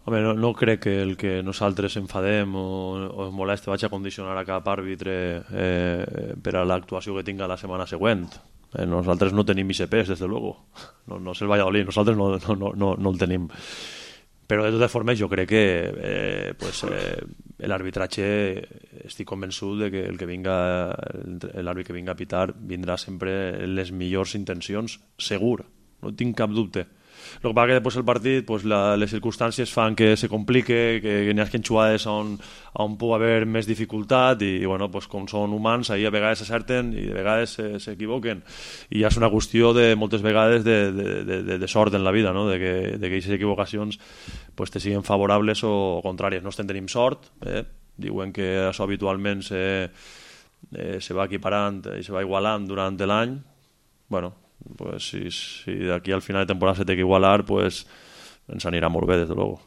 Home, no crec que el que nosaltres enfadem o ens moleste vagi a condicionar a cap àrbitre per a l'actuació que tinga la setmana següent. Nosaltres no tenim ICPs, des de luego. No és el Valladolid, nosaltres no el tenim. Però de totes formes jo crec que l'arbitratge estic convençut de que l'àrbit que vinga a pitar vindrà sempre en les millors intencions, segur, no tinc cap dubte. El que passa que després el partit les circumstàncies fan que se complique, que n'hi hagi jugades on pugui haver més dificultat i bueno, com són humans ahir a vegades s'acerten i de vegades s'equivoquen i ja és una qüestió de moltes vegades de sort en la vida, no? de que aquestes equivocacions te siguin favorables o contràries. No estem tenim sort, diuen que això habitualment se va equiparant i se va igualant durant l'any. Bueno, pues si d'aquí al final de temporada se té que igualar, pues ens anirà molt bé, des de luego.